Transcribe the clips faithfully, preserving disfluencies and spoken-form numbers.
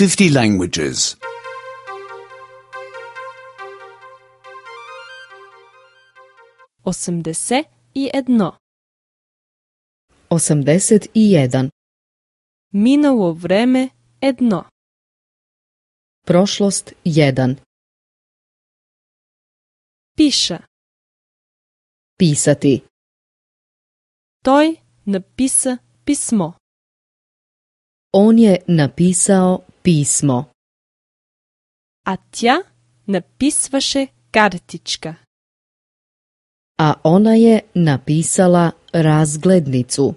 fifty languages. Osemdeset i jedno. Osamdeset i jedan. Minulo vreme jedno. Prošlost jedan. Piša. Pisati. Той написа писмо. On je napisao pismo. А тя написваше картичка. A ona je napisala razglednicu.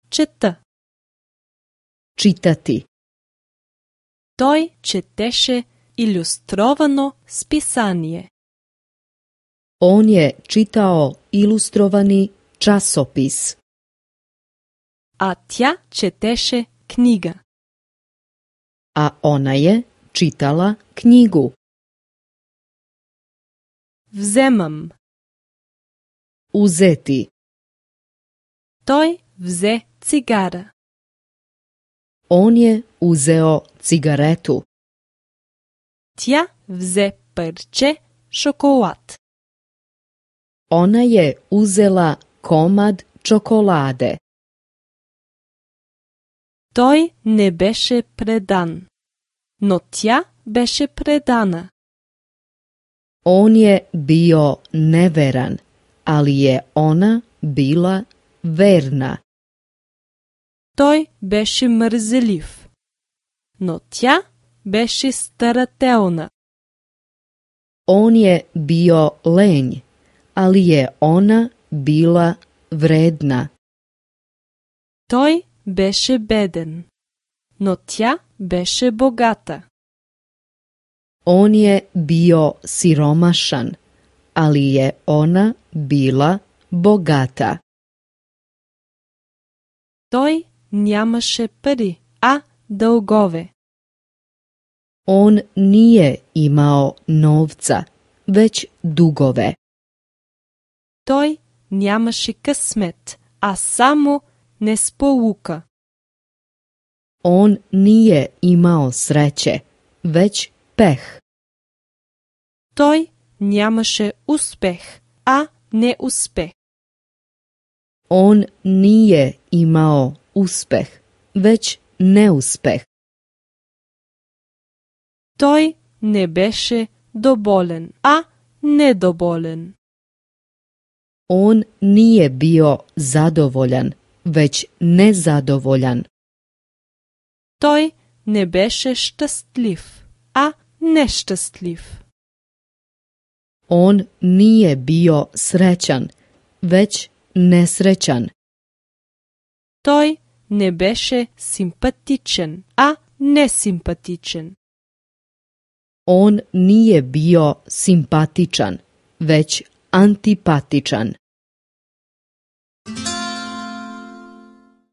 Чета. Čitati. Той четеше илюстровано списание. On je čitao ilustrovani časopis. А тя четеше книга. A ona je čitala knjigu. Вземам. Uzeti. Той взе цигара. On je uzeo cigaretu. Тя взе парче шоколад. Ona je uzela komad čokolade. Той не беше предан, но тя беше предана. On je bio neveran, ali je ona bila verna. Той беше мързелив, но тя беше старателна. On je bio lenj, ali je ona bila vredna. Той беше беден, но тя беше богата. On je bio siromašan, ali je ona bila bogata. Той нямаше пари, а дългове. On nije imao novca, već dugove. Той нямаше късмет, а само несполука. On nije imao sreće, već peh. Той нямаше успех, а неуспех. On nije imao uspeh, već neuspeh. Той не беше доволен, а недоволен. On nije bio zadovoljan, već nezadovoljan. Той не беше щастлив, а нещастлив. On nije bio srećan, već nesrećan. Той не беше симпатичен, а несимпатичен. On nije bio simpatičan, već antipatičan.